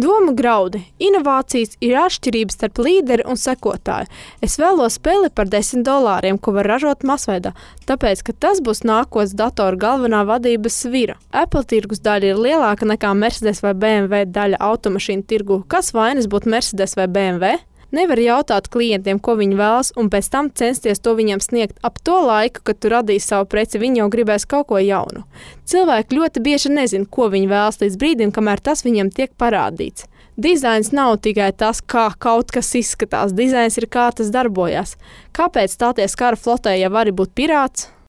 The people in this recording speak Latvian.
Doma graudi. Inovācijas ir atšķirības starp līderi un sekotāju. Es vēlos spēli par $10, ko var ražot masveidā, tāpēc, ka tas būs nākotnes datoru galvenā vadības svira. Apple tirgus daļa ir lielāka nekā Mercedes vai BMW daļa automašīnu tirgu. Kas vainas būt Mercedes vai BMW? Nevar jautāt klientiem, ko viņi vēlas, un pēc tam censties to viņiem sniegt ap to laiku, kad tu radīsi savu preci, viņi jau gribēs kaut ko jaunu. Cilvēki ļoti bieži nezin, ko viņi vēlas līdz brīdim, kamēr tas viņiem tiek parādīts. Dizains nav tikai tas, kā kaut kas izskatās. Dizains ir kā tas darbojas. Kāpēc stāties kara flotē, ja vari būt pirāts?